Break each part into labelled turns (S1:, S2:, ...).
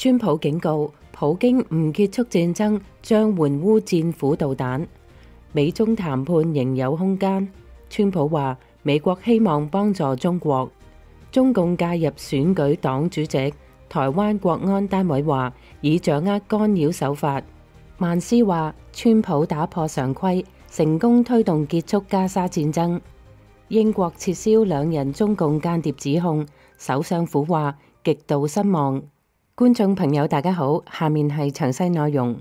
S1: 川普警告，普京唔結束戰爭將援烏戰斧導彈，美中談判仍有空間。川普話美國希望幫助中國，中共介入選舉黨主席。台灣國安單位話已掌握干擾手法。曼斯話川普打破常規，成功推動結束加沙戰爭。英國撤銷兩人中共間諜指控，首相府話極度失望。觀眾朋友大家好，下面係詳細內容。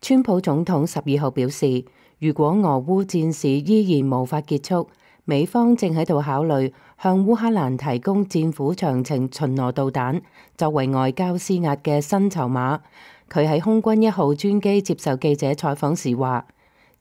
S1: 川普總統12號表示，如果俄烏戰事依然無法結束，美方正喺度考慮向烏克蘭提供戰斧長程巡邏導彈，作為外交施壓嘅新籌碼。佢喺空軍1號專機接受記者採訪時話，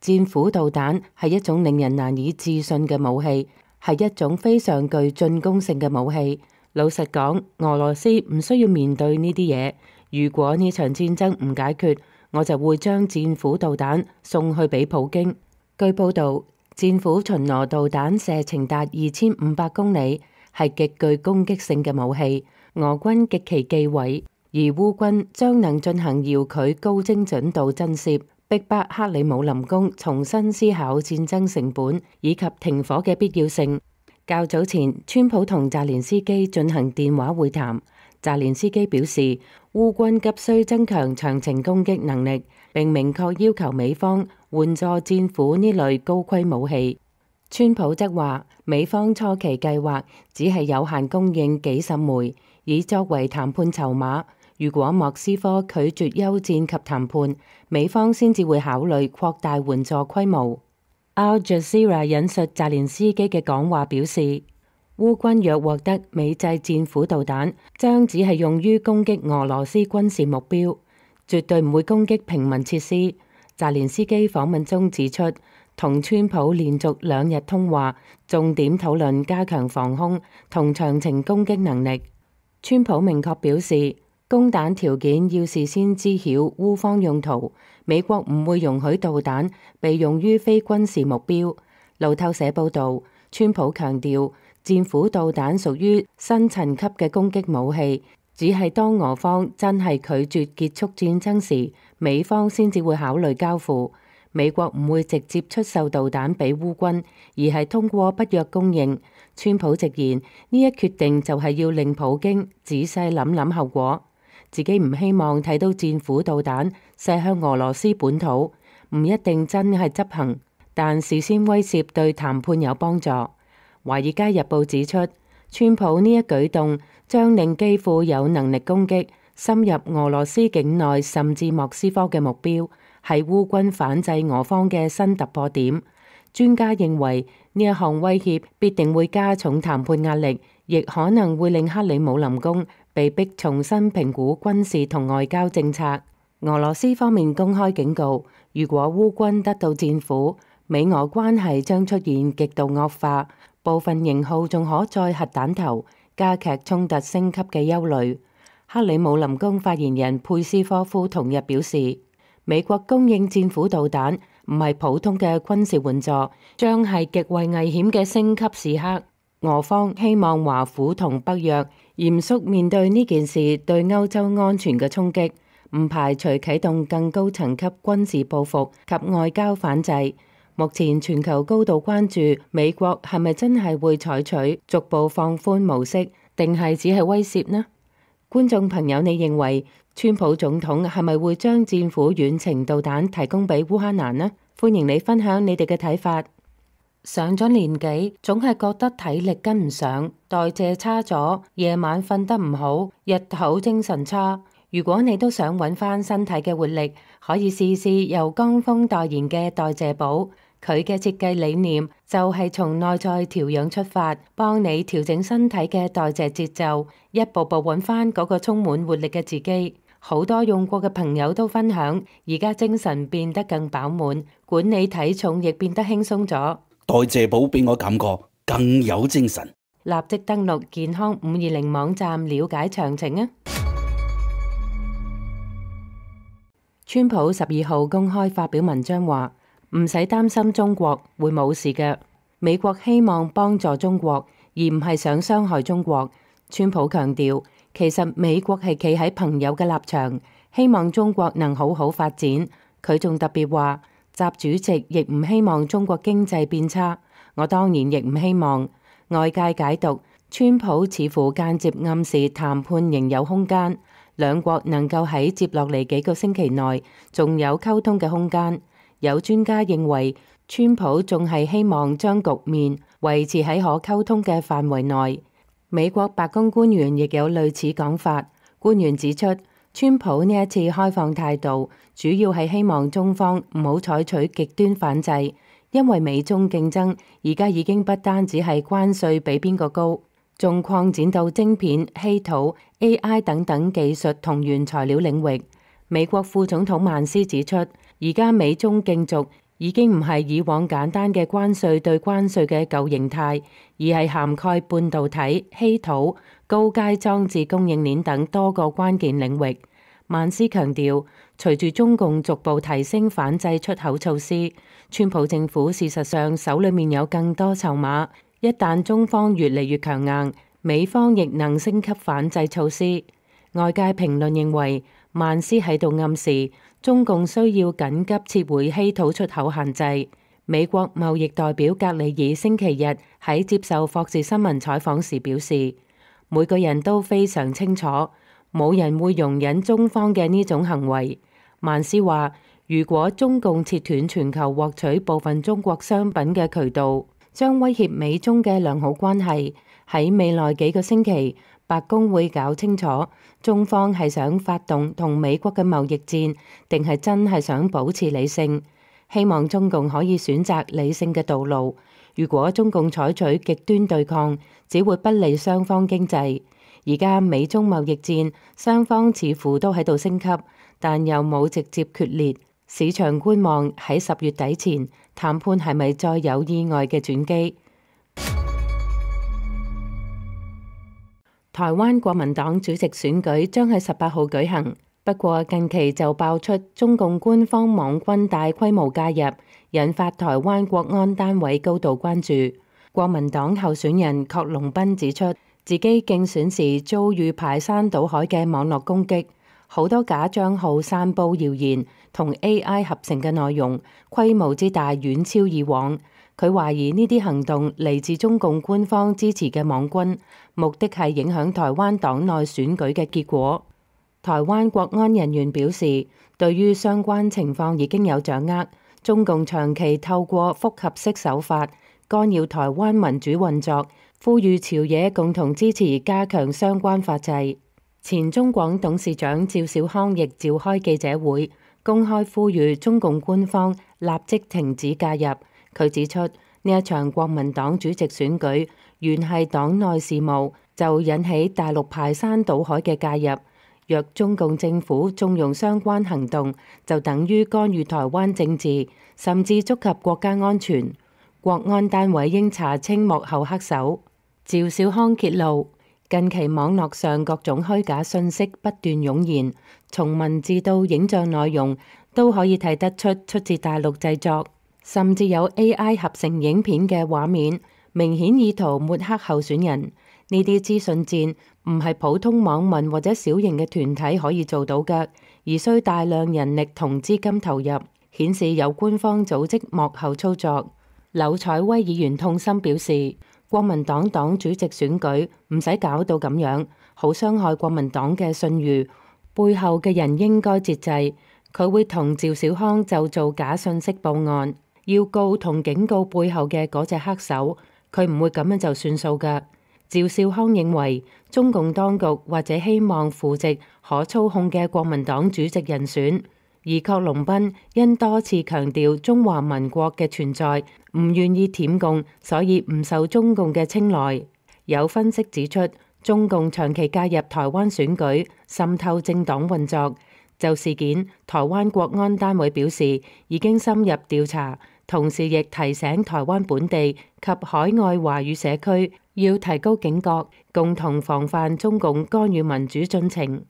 S1: 戰斧導彈係一種令人難以置信嘅武器，係一種非常具進攻性嘅武器。老實講，俄羅斯唔需要面對呢啲嘢。如果呢場戰爭唔解決，我就會將戰斧導彈送去俾普京。據報道，戰斧巡邏導彈射程達2500公里，係極具攻擊性嘅武器。俄軍極其忌諱，而烏軍將能進行遙距高精準度震懾，逼迫克里姆林宮重新思考戰爭成本以及停火嘅必要性。較早前，川普同澤連斯基進行電話會談。澤連斯基表示，烏軍急需增強長程攻擊能力，並明確要求美方援助戰斧呢類高規模武器。川普則話，美方初期計劃只係有限供應幾十枚，以作為談判籌碼。如果莫斯科拒絕休戰及談判，美方先至會考慮擴大援助規模。Al Jazeera 引述澤連斯基嘅講話表示，烏軍若獲得美製戰斧導彈，將只係用於攻擊俄羅斯軍事目標，絕對唔會攻擊平民設施。澤連斯基訪問中指出，同川普連續2日通話，重點討論加強防空同長程攻擊能力。川普明確表示，供彈條件要事先知曉烏方用途，美國唔會容許導彈被用於非軍事目標。路透社報導，川普強調，戰斧導彈屬於新層級嘅攻擊武器，只係當俄方真係拒絕結束戰爭時，美方先至會考慮交付。美國唔會直接出售導彈俾烏軍，而係通過北約供應。川普直言，呢一決定就係要令普京仔細諗諗後果。自己唔希望睇到戰斧導彈射向俄羅斯本土，唔一定真係執行，但事先威懾對談判有幫助。《華爾街日報》指出，川普呢一舉動將令基輔有能力攻擊深入俄羅斯境內甚至莫斯科嘅目標，係烏軍反制俄方嘅新突破點。專家認為呢一項威脅必定會加重談判壓力，亦可能會令克里姆林宮被迫重新評估軍事同外交政策。俄羅斯方面公開警告，如果烏軍得到戰斧，美俄關係將出現極度惡化，部分型號仲可載核彈頭，加劇衝突升級嘅憂慮。克里姆林宮發言人佩斯科夫同日表示，美國供應戰斧導彈唔係普通嘅軍事援助，將係極為危險嘅升級時刻。俄方希望華府同北約嚴肅面對呢件事對歐洲安全嘅衝擊，唔排除啟動更高層級軍事報復及外交反制。目前全球高度關注美國係咪真係會採取逐步放寬模式，定係只係威懾呢？觀眾朋友，你認為川普總統係咪會將戰斧遠程導彈提供俾烏克蘭呢？歡迎你分享你哋嘅睇法。上咗年紀，總係覺得體力跟唔上，代謝差咗，夜晚瞓得唔好，日頭精神差。如果你都想揾翻身體嘅活力，可以試試由江峰代言嘅代謝寶。佢嘅設計理念就係從內在調養出發，幫你調整身體嘅代謝節奏，一步步揾翻嗰個充滿活力嘅自己。好多用過嘅朋友都分享，而家精神變得更飽滿，管理體重亦變得輕鬆咗。
S2: 代謝寶俾我感覺更有精神。
S1: 立即登錄健康520網站了解詳情啊！川普12號公開發表文章話，唔使擔心中國會冇事嘅，美國希望幫助中國，而唔係想傷害中國。川普強調，其實美國係企喺朋友嘅立場，希望中國能好好發展。佢仲特別話，習主席亦唔希望中國經濟變差，我當然亦唔希望。外界解讀，川普似乎間接暗示談判仍有空間，兩國能夠喺接落嚟幾個星期內仲有溝通嘅空間。有專家認為，川普仲係希望將局面維持喺可溝通嘅範圍內。美國白宮官員亦有類似講法。官員指出，川普呢一次開放態度，主要係希望中方唔好採取極端反制，因為美中競爭而家已經不單止係關稅比邊個高，仲擴展到晶片、稀土、AI 等等技術同原材料領域。美國副總統曼斯指出，而家美中競逐已經唔係以往簡單嘅關稅對關稅嘅舊形態，而係涵蓋半導體、稀土、高階裝置供應鏈等多個關鍵領域。曼斯強調，隨住中共逐步提升反制出口措施，川普政府事實上手裏面有更多籌碼。一旦中方越嚟越強硬，美方亦能升級反制措施。外界評論認為，曼斯喺度暗示中共需要緊急撤回稀土出口限制。美國貿易代表格里爾星期日喺接受霍士新聞採訪時表示，每個人都非常清楚，冇人會容忍中方嘅呢種行為。曼斯話，如果中共切斷全球獲取部分中國商品嘅渠道，將威脅美中嘅良好關係。喺未來幾個星期，白宮會搞清楚中方係想發動同美國嘅貿易戰，定係真係想保持理性。希望中共可以選擇理性嘅道路。如果中共採取極端對抗，只會不利雙方經濟。而家美中貿易戰，雙方似乎都喺度升級，但又冇直接決裂。市場觀望喺10月底前談判係咪再有意外嘅轉機。台灣國民黨主席選舉將喺18號舉行，不過近期就爆出中共官方網軍大規模介入，引發台灣國安單位高度關注。國民黨候選人郝龍斌指出，自己競選時遭遇排山倒海嘅網絡攻擊，好多假賬號散佈謠言同 AI 合成嘅內容，規模之大遠超以往。佢懷疑呢啲行動嚟自中共官方支持嘅網軍，目的係影響台灣黨內選舉嘅結果。台灣國安人員表示，對於相關情況已經有掌握。中共長期透過複合式手法干擾台灣民主運作，呼籲朝野共同支持加強相關法制。前中廣董事長趙少康亦召開記者會，公開呼籲中共官方立即停止介入。佢指出，呢一場國民黨主席選舉原係黨內事務，就引起大陸排山倒海嘅介入。若中共政府縱容相關行動，就等於干預台灣政治，甚至觸及國家安全。國安單位應查清幕後黑手。趙少康揭露，近期網絡上各種虛假信息不斷湧現，從文字到影像內容都可以睇得出自大陸製作。甚至有 AI 合成影片嘅畫面，明顯意圖抹黑候選人。呢啲資訊戰唔係普通網民或者小型嘅團體可以做到嘅，而需大量人力同資金投入，顯示有官方組織幕後操作。柳彩威議員痛心表示，國民黨黨主席選舉唔使搞到咁樣，好傷害國民黨嘅信譽，背後嘅人應該節制。佢會同趙少康就做假信息報案。要告同警告背後嘅嗰隻黑手，佢唔會咁樣就算數㗎。趙少康認為中共當局或者希望扶植可操控嘅國民黨主席人選，而郝龍斌因多次強調中華民國嘅存在，唔願意舔共，所以唔受中共嘅青睞。有分析指出，中共長期介入台灣選舉，滲透政黨運作。就事件，台灣國安單位表示已經深入調查，同時亦提醒台灣本地及海外華語社區要提高警覺，共同防範中共干預民主進程。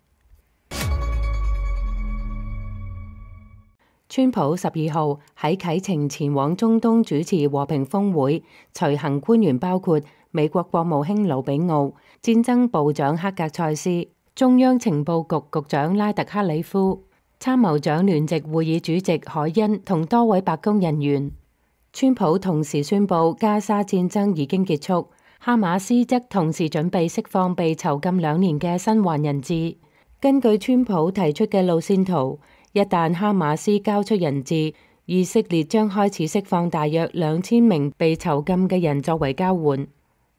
S1: 川普12號喺啟程前往中東主持和平峰會，隨行官員包括美國國務卿魯比奧、戰爭部長克格塞斯、中央情報局局長拉特克里夫、參謀長聯席會議主席凱恩同多位白宮人員。川普同時宣布加沙戰爭已經結束，哈馬斯則同時準備釋放被囚禁2年嘅生還人質。根據川普提出嘅路線圖，一旦哈馬斯交出人質，以色列將開始釋放大約2000名被囚禁嘅人作為交換。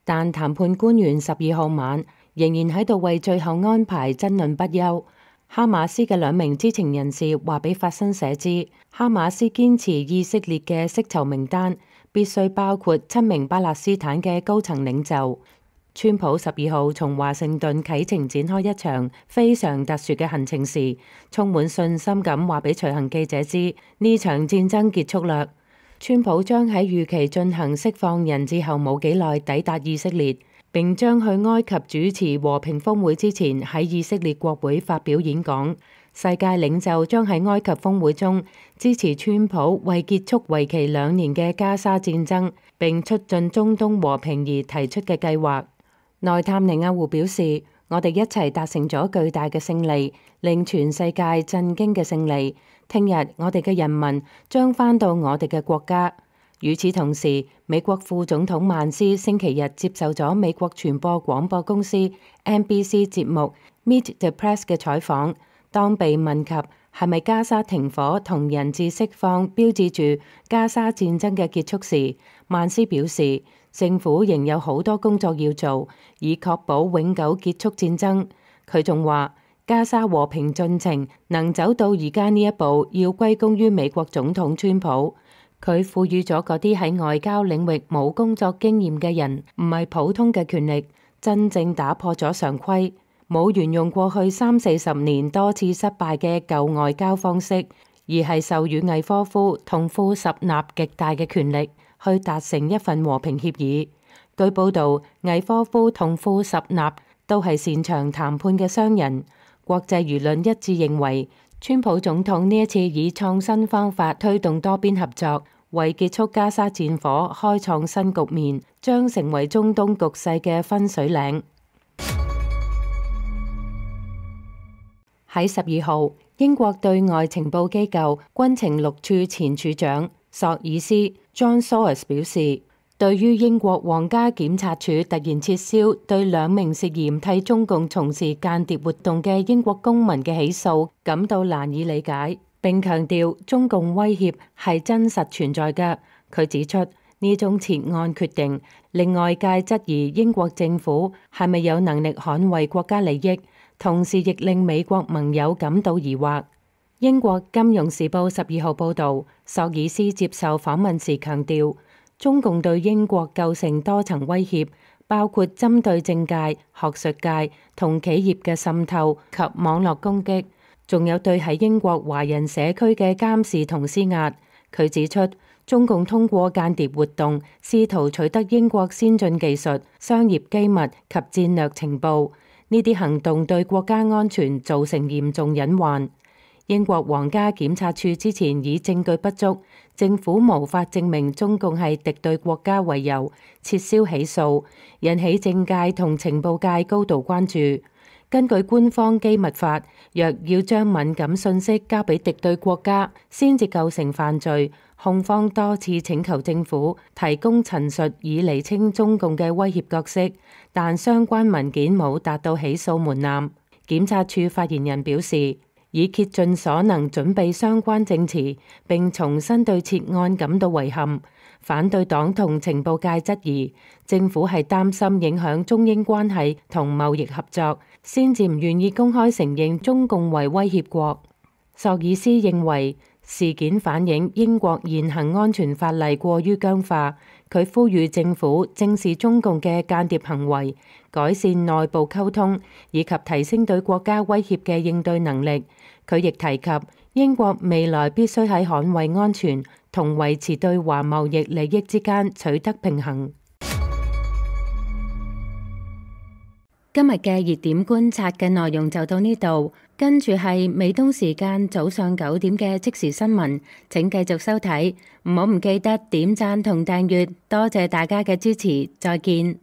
S1: 但談判官員12號晚仍然喺度為最後安排爭論不休。哈馬斯嘅2名知情人士話俾法新社知，哈馬斯堅持以色列嘅釋囚名單必須包括7名巴勒斯坦嘅高層領袖。川普12號從華盛頓啟程展開一場非常特殊嘅行程時，充滿信心咁話俾隨行記者知，呢場戰爭結束啦。川普將喺預期進行釋放人質後冇幾耐抵達以色列，並將去埃及主持和平峰會之前喺以色列國會發表演講。世界領袖將喺埃及峰會中支持川普為結束為期2年嘅加沙戰爭並促進中東和平而提出嘅計劃。內塔尼亞胡表示，我哋一齊達成咗巨大嘅勝利，令全世界震驚嘅勝利。聽日我哋嘅人民將返到我哋嘅國家。與此同時，美國副總統曼斯星期日接受咗美國傳播廣播公司 NBC 節目 Meet the Press 嘅採訪。當被問及係咪加沙停火同人質釋放標誌住加沙戰爭嘅結束時，曼斯表示，政府仍有好多工作要做，以確保永久結束戰爭。佢仲話，加沙和平進程能走到而家呢一步，要歸功於美國總統川普。佢賦予咗嗰啲喺外交領域冇工作經驗嘅人，唔係普通嘅權力，真正打破咗常規，冇沿用過去30-40年多次失敗嘅舊外交方式，而係授予魏科夫同庫什納極大嘅權力，去達成一份和平協議。據報導，魏科夫同庫什納都係擅長談判嘅商人。國際輿論一致認為，川普總統呢一次以創新方法推動多邊合作，為結束加沙戰火開創新局面，將成為中東局勢嘅分水嶺。喺12號，英國對外情報機構軍情六處前處長索爾斯 John Sawers 表示，對於英國皇家檢察署突然撤銷對2名涉嫌替中共從事間諜活動嘅英國公民嘅起訴感到難以理解，並強調中共威脅係真實存在嘅。佢指出，呢種撤案決定令外界質疑英國政府係咪有能力捍衛國家利益，同時亦令美國盟友感到疑惑。英國金融時報12號報導，索爾斯接受訪問時強調，中共對英國構成多層威脅，包括針對政界、學術界同企業嘅滲透及網絡攻擊，仲有對喺英國華人社區嘅監視同施壓。佢指出，中共通過間諜活動試圖取得英國先進技術、商業機密及戰略情報，呢啲行動對國家安全造成嚴重隱患。英國皇家檢察署之前以證據不足、政府無法證明中共係敵對國家為由撤銷起訴，引起政界同情報界高度關注。根據官方機密法，若要將敏感信息交俾敵對國家先至構成犯罪，控方多次請求政府提供陳述以釐清中共嘅威脅角色，但相關文件冇達到起訴門檻。檢察署發言人表示，已竭盡所能準備相關證詞，並重新對撤案感到遺憾。反對黨同情報界質疑政府係擔心影響中英關係同貿易合作，先至唔願意公開承認中共為威脅國。索爾斯認為事件反映英國現行安全法例過於僵化，佢呼籲政府正視中共嘅間諜行為，改善內部溝通，以及提升對國家威脅嘅應對能力。佢亦提及英國未來必須喺捍衛安全同維持對華貿易利益之間取得平衡。今日嘅熱點觀察嘅內容就到呢度，跟住係美東時間早上9點嘅即時新聞，請繼續收睇，唔好唔記得點讚同訂閱，多謝大家嘅支持，再見。